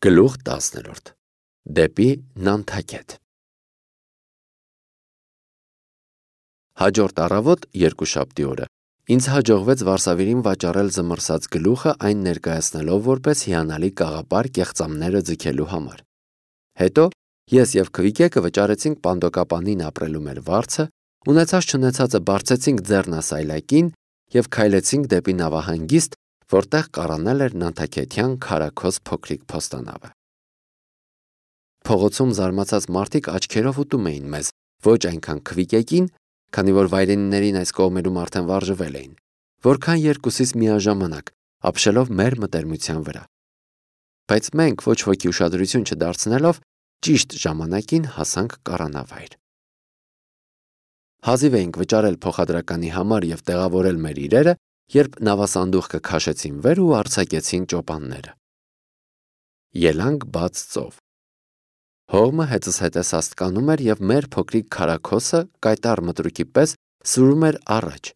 Գլուխ 10 Դեպի Նանթակետ Հաջորդ առավոտ երկուշաբթի օրը ինձ հաջողվեց Վարշավին վաճառել զմռսած գլուխը այն ներկայացնելով որպես հիանալի կաղապար կեղծամները ձգելու համար։ Հետո ես եւ Քվիկեկը վճարեցինք պանդոկապանին ապրելու մեր վարձը, ունեցած չունեցածը բարձեցինք ձեռնասայլակին եւ քայլեցինք դեպի նավահանգիստ, որտեղ կառանել էր Նանթակետյան քարաքոս փոքրիկ փոստանավը։ Փողոցում զարմացած մարդիկ աչքերով ուտում էին մեզ, ոչ այնքան Քվիկեկին, քանի որ վայրենիներին այս կողմերում արդեն վարժվել էին, որքան երկուսից միաժամանակ, ապշելով մեր մտերմության վրա։ Բայց մենք ոչ ոքի ուշադրություն չդարձնելով ճիշտ ժամանակին հասանք կառանավայր։ Հազիվ էինք վճարել փոխադրականի համար եւ տեղավորել մեր իրերը, երբ նավասանդուղքը քաշեցին վեր ու արձակեցին ճոպանները։ Ելանք բաց ծով։ Հողմը հետս հետես աստկանում էր եւ մեր փոքրիկ քարաքոսը կայտառ մտրուկի պես սուրում էր առաջ,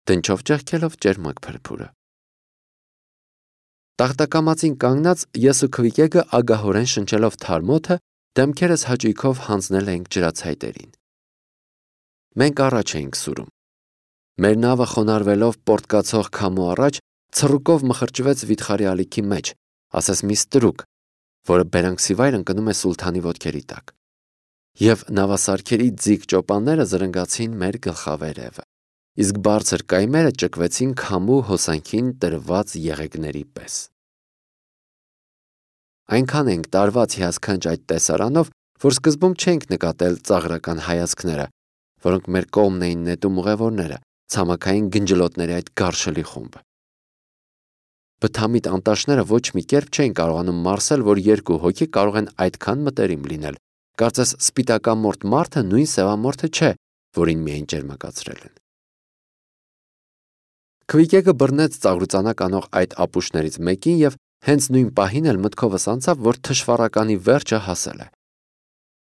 դնչով ճեղքելով ճերմակ փրփուրը։ Տախտակամածին կանգնած ես ու Քվիկեկը ագահորեն շնչելով թարմոթը դեմքերս հաճույքով հանձնել էինք ջրացայտերին։ Մենք առաջ էինք սուրում։ Մեր նավը խոնարհվելով պորտկացող քամու առաջ ցռուկով մխրճվեց վիթխարի ալիքի մեջ, ասես մի ստրուկ, որը բերանքսիվայր ընկնում է սուլթանի ոտքերի տակ։ Եվ նավասարքերի ձիգ ճոպանները զրնգացին մեր գլխավերևը, իսկ բարձր կայմերը ճկվեցին քամու հոսանքին տրված եղեգների պես։ Այնքան ենք տարված հիասքանչ այդ տեսարանով, որ սկզբում չենք նկատել ծաղրական հայացքները, որոնք մեր կողմն էին նետում ուղևորները, ցամաքային գնջլոտների այդ գարշելի խումբը։ Բթամիտ անտաշները ոչ մի կերպ չէին կարողանում մարսել, որ երկու հոգի կարող են այդքան մտերիմ լինել, կարծես սպիտակամորթ մարդը նույն սևամորթը չէ, որին միայն ճերմակացրել են։ Քվիկեկը բռնեց ծաղրուծանակ անող այդ ապուշներից մեկին եւ հենց նույն պահին էլ մտքովս անցավ, որ թշվառականի վերջը հասել է։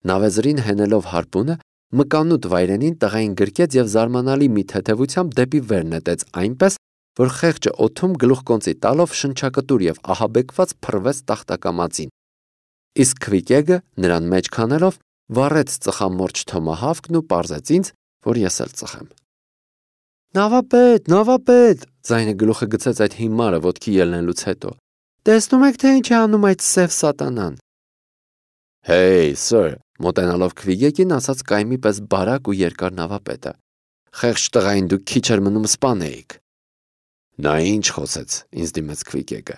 Նավեզրին հենելով հարպունը մկանուտ վայրենին տղային գրկեց եւ զարմանալի մի թեթևությամբ դեպի վեր նետեց այնպես, որ խեղճը օդում գլուխկոնծի տալով շնչակտուր եւ ահաբեկված փռվեց տախտակամածին։ Իսկ Քվիկեկը նրան մեջ քանելով վառեց ծխամորճ թոմահավքն ու պարզեց ինձ, որ ես էլ ծխեմ։ Նավապետ, ձայնը գլուխը գցեց այդ հիմարը ոտքի ելնելուց հետո։ Տեսնում եք, թե ինչ է անում այդ սև սատանան։ Hey, sir, մոտենալով Քվիկեկին ասաց կայմի պես բարակ ու երկար նավապետը։ Խեղճ տղային դուք քիչ էր մնում սպանեիք։ Նա ինչ խոսեց, ինձ դիմեց Քվիկեկը։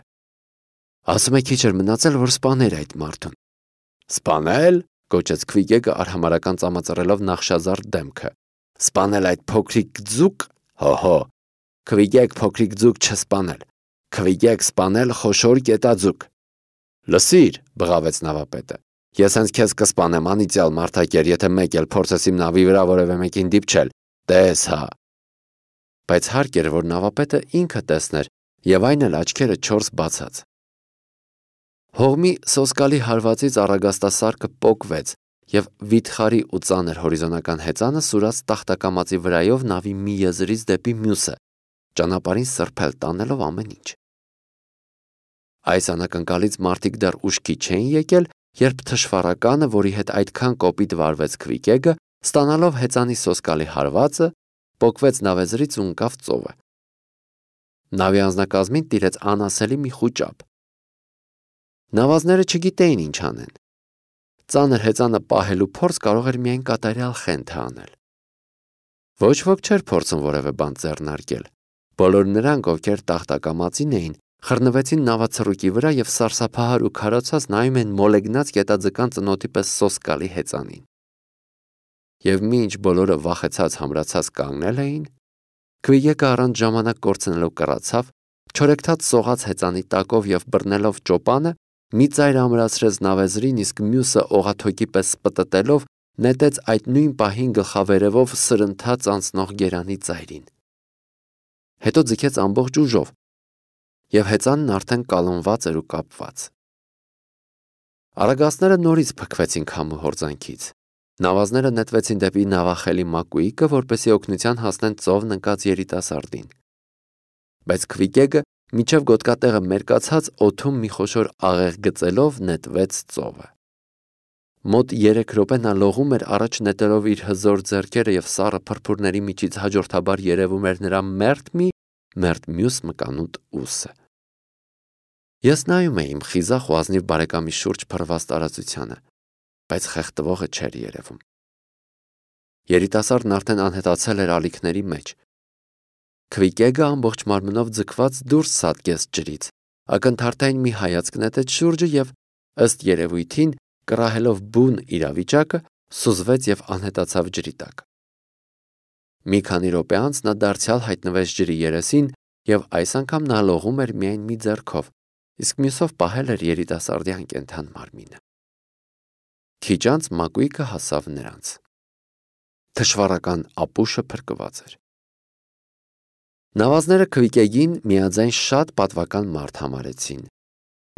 Ասում է քիչ էր մնացել, որ սպաներ այդ մարդուն։ Սպանել, գոչեց Քվիկեկը արհամարական ծամածռելով նախշազարդ դեմքը։ Սպանել այդ փոքրիկ ձուկ, հոհո։ Քվիկեք փոքրիկ ձուկ չսպանել։ Քվիկեք սպանել խոշոր կետաձուկ։ Լսիր, բղավեց նավապետը։ Ես հենց քեզ կսպանեմ անիծյալ մարդակեր, եթե մեկ էլ փորձես իմ նավի վրա որևէ մեկին դիպչել։ Տես հա։ Բայց հարկ էր, որ նավապետը ինքը տեսներ, եւ այն էլ աչքերը 4 բացած։ Հողմի սոսկալի հարվածից առագաստասարքը պոկվեց, եւ վիթխարի ու ծանր հորիզոնական հեծանը սուրաց տախտակամածի վրայով նավի մի եզրից դեպի մյուսը, ճանապարհին սրբել տանելով ամեն ինչ։ Այս անակնկալից մարդիկ դեռ ուշքի չէին եկել, երբ թշվառականը, որի հետ այդքան կոպիտ վարվեց Քվիկեկը, ստանալով հեծանի սոսկալի հարվածը, պոկվեց նավեզրից ու ընկավ ծովը։ Նավի անձնակազմին տիրեց անասելի մի խուճապ։ Նավազները չգիտեին ինչ անեն։ Ծանր հեծանը պահելու փորձ կարող էր միայն կատարյալ խենթը անել։ Ոչ ոք չէր փորձում որևէ բան ձեռնարկել։ Բոլոր նրանք, ովքեր տախտակամածին էին, խռնվեցին նավացռուկի վրա եւ սարսափահար ու քարացած նայում են մոլեգնած կետաձկան ծնոտի պես սոսկալի հեծանին։ Եվ մինչ բոլորը վախեցած համրացած կանգնել էին, Քվիկեկը առանց ժամանակ կորցնելով կռացավ, չորեքթաթ սողաց հեծանի տակով եւ բռնելով ճոպանը, մի ծայր ամրացրեց նավեզրին, իսկ մյուսը օղաթոկի պես սպտտելով նետեց այդ նույն պահին գլխավերևով սրընթաց անցնող գերանի ծայրին։ Հետո ձգեց ամբողջ ուժով, եւ հեծանն արդեն կալոնված էր ու կապված։ Արագածները նորից փքվեցին քամու հորձանքից։ Նավազները նետվեցին դեպի նավախելի մակույկը, որպեսզի օգնության հասնեն ծովն ընկած երիտասարդին։ Բայց Քվիկեկը մինչև գոտկատեղը մերկացած օդում մի խոշոր աղեղ գծելով նետվեց ծովը։ Մոտ 3 րոպե նա լողում էր առաջ նետելով իր հզոր ձեռքերը և սառը փրփուրների միջից հաջորդաբար երևում էր նրա մերթ մյուս մկանուտ ուսը։ Ես նայում էի իմ խիզախ ու ազնիվ բարեկամի շուրջ փռված տարածությանը, բայց խեղդվողը չէր երևում։ Երիտասարդն արդեն անհետացել էր ալիքների մեջ։ Քվիկեգը ամբողջ մարմնով ձգված դուրս սատկեց ջրից, ակնթարթային մի հայացք նետեց շուրջը և, ըստ երևույթին, կռահելով բուն իրավիճակը, սուզվեց և անհետացավ ջրի տակ։ Մի քանի րոպե անց նա դարձյալ հայտնվեց ջրի երեսին և այս անգամ նա լողում էր միայն մի ձեռքով, իսկ մյուսով պահել էր երիտասարդի անկենդան մարմինը։ Քիչ անց մակույկը հասավ նրանց։ Թշվառական ապուշը փրկված էր։ Նավազները Քվիկեգին միաձայն շատ պատվական մարդ համարեցին։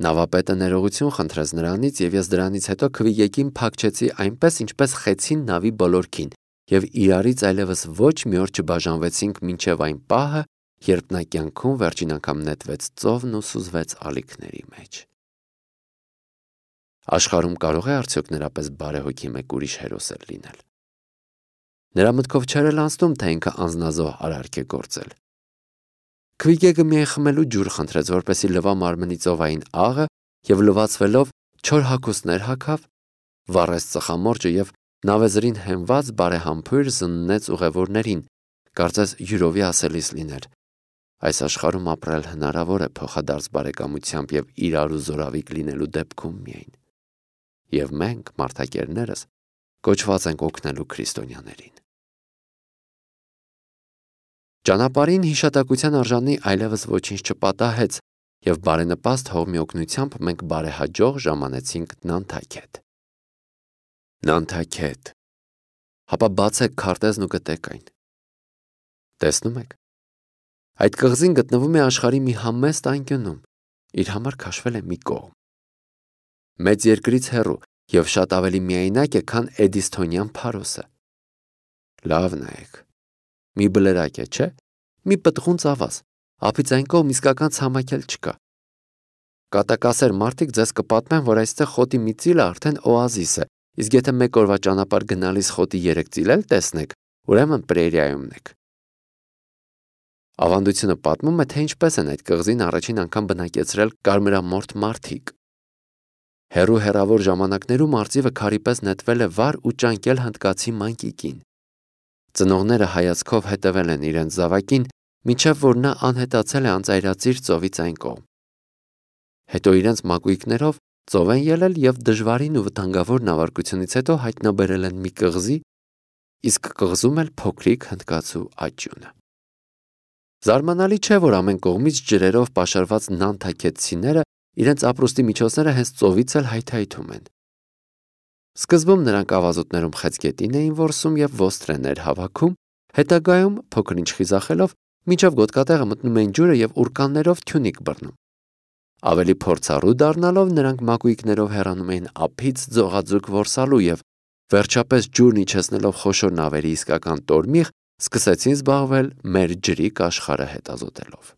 Նավապետը ներողություն խնդրեց նրանից և ես դրանից հետո Քվիկեգին փակչեցի այնպես, ինչպես խեցին նավի բոլորքին և իրարից այլևս ոչ մի օր չբաժանվեցինք մինչև այն պահը, երբ նա կյանքում վերջին անգամ նետվեց ծովն ու սուզվեց ալիքների մեջ։ Աշխարհում կարող է արդյոք նրա պես բարեհոգի մեկ ուրիշ հերոսել լինել։ Նրա մտքով չէր էլ անցնում, թե ինքը անձնազոհ արարք է գործել։ Քվիկեգը միայն խմելու ջուր խնդրեց, որպեսզի լվա մարմնի ծովային աղը և լվացվելով չոր հագուստներ հագավ, վառեց ծխամորճը և նավեզրին հենված բարեհամբույր զննեց ուղևորներին, կարծես յուրովի ասելիս լիներ. այս աշխարհում ապրել հնարավոր է փոխադարձ բարեկամությամբ և իրար ու զորավիք լինելու դեպքում միայն։ Եվ մենք, մարդակերներս, կոչված ենք օգնելու քրիստոնյաներին։ Ճանապարհին հիշատակության արժանի այլևս ոչինչ չպատահեց, և բարենպաստ հողմի օգնությամբ մենք բարեհաջող ժամանեցինք Նանթաքեթ։ Նանթաքեթ։ Հապա բացեք քարտեզն ու գտեք այն։ Տեսնում եք։ Այդ կղզին գտնվում է աշխարհի մի համեստ անկյունում, իր համար քաշվել է մի կողմ։ Մեծ երկրից հեռու և շատ ավելի միայնակ է, քան Էդիսթոնյան Փարոսը։ Լավ նայեք։ Մի բլրակ է, չէ՞։ Մի պտղուն ծավալ, ափից այն կողմ իսկական ցամաք էլ չկա։ Կատակասեր մարդիկ ձեզ կպատմեն, որ այստեղ խոտի մի ծիլը արդեն օազիս է, իսկ եթե մեկ օրվա ճանապարհ գնալիս խոտի 3 ծիլ էլ տեսնեք, ուրեմն պրերիայում եք։ Ավանդությունը պատմում է, թե ինչպես են այդ կղզին առաջին անգամ բնակեցրել կարմրամորթ մարդիկ։ Հեռու հեռավոր ժամանակներում արծիվը քարի պես նետվել է վար ու ճանկել հնդկացի մանկիկին։ Ծնողները հայացքով հետևել են իրենց զավակին, մինչև որ նա անհետացել է անծայրածիր ծովից այն կողմ։ Հետո իրենց մակույկներով ծով են ելել և դժվարին ու վտանգավոր նավարկությունից հետո հայտնաբերել են մի կղզի, իսկ կղզում էլ փոքրիկ հնդկացու աճյունը։ Զարմանալի չէ, որ ամեն կողմից ջրերով պաշարված նանթաքեթցիները իրենց ապրուստի միջոցները հենց ծովից էլ հայթայթում են։ Սկզբում նրանք ավազուտներում խեցգետին էին որսում և ոստրեներ հավաքում, հետագայում, փոքր-ինչ խիզախելով, մինչև գոտկատեղը մտնում էին ջուրը և ուրկաններով թյունիկ բռնում։ Ավելի փորձառու դառնալով նրանք մակույկներով հեռանում էին ափից ձողաձուկ որսալու և վերջապես ջուրն իջեցնելով խոշոր նավերի իսկական տորմիղ, սկսեցին զբաղվել մեր ջրի կաշխարը հետազոտելով։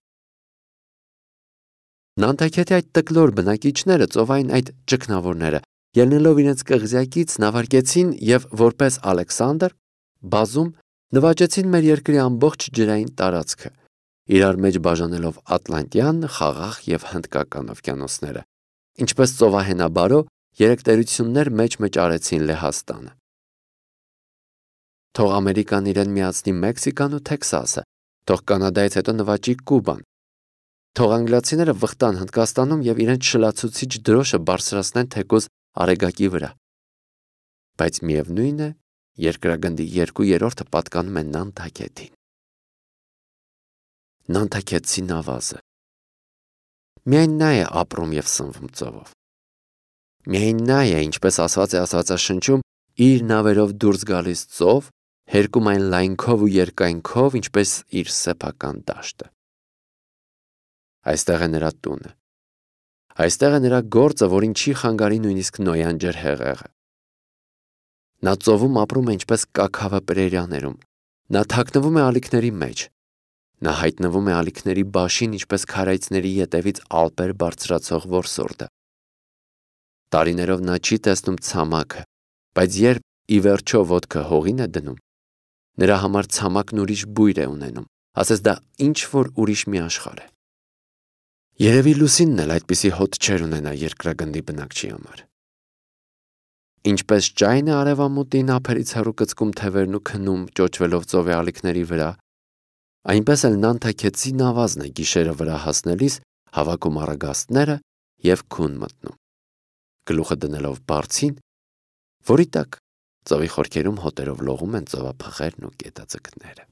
Նանթաքեթի այդ տկլոր բնակիչները, ծովային այդ ճգնավորները, ելնելով իրենց կղզյակից նավարկեցին և որպես Ալեքսանդր բազում նվաճեցին մեր երկրի ամբողջ ջրային տարածքը, իրար մեջ բաժանելով Ատլանտյան, Խաղաղ և Հնդկական օվկիանոսները, ինչպես ծովահենաբարո 3 տերություններ մեջ արեցին Լեհաստանը։ Թող Ամերիկան իրեն միացնի Մեքսիկան ու Թեքսասը, թող Կանադայից հետո նվաճի Կուբան, թող անգլիացիները վխտան Հնդկաստանում և իրենց շլացուցիչ դրոշը բարձրացնեն թեկուզ Արեգակի վրա։ Բայց միևնույն է, երկրագնդի 2/3 պատկանում է Նանթաքեթին։ Նանթաքեթցի նավազը։ Միայն նա է ապրում և սնվում ծովով։ Միայն նա է, ինչպես ասված է Աստվածաշնչում, իր նավերով դուրս գալիս ծով, հերկում այն լայնքով ու երկայնքով, ինչպես իր սեփական դաշտը։ Այստեղ է նրա տունը։ Այստեղ է նրա գործը, որին չի խանգարի նույնիսկ Նոյան ջրհեղեղը։ Նա ծովում ապրում է ինչպես կաքավը պրերիաներում։ Նա թաքնվում է ալիքների մեջ։ Նա հայտնվում է ալիքների բաշին, ինչպես քարայծների ետևից ալպեր բարձրացող որսորդը։ Տարիներով նա չի տեսնում ցամաքը, բայց երբ ի վերջո ոտքը հողին է դնում, նրա համար ցամաքն ուրիշ բույր է ունենում, ասես դա ինչ-որ ուրիշ մի աշխարհ է։ Երևի լուսինն էլ այդպիսի հոտ չեր ունենա երկրագնդի բնակչի համար։ Ինչպես ճայն է արևամուտին ափերից հեռու կծկում թևերն ու քնում ճոճվելով ծովի ալիքների վրա, այնպես էլ նանթաքեցի նավազն է գիշերը վրա հասնելիս հավաքում առագաստները և քուն մտնում, գլուխը դնելով բարձին, որի տակ ծովի խորքերում հոտերով լողում են ծովափղերն ու գետաձկները։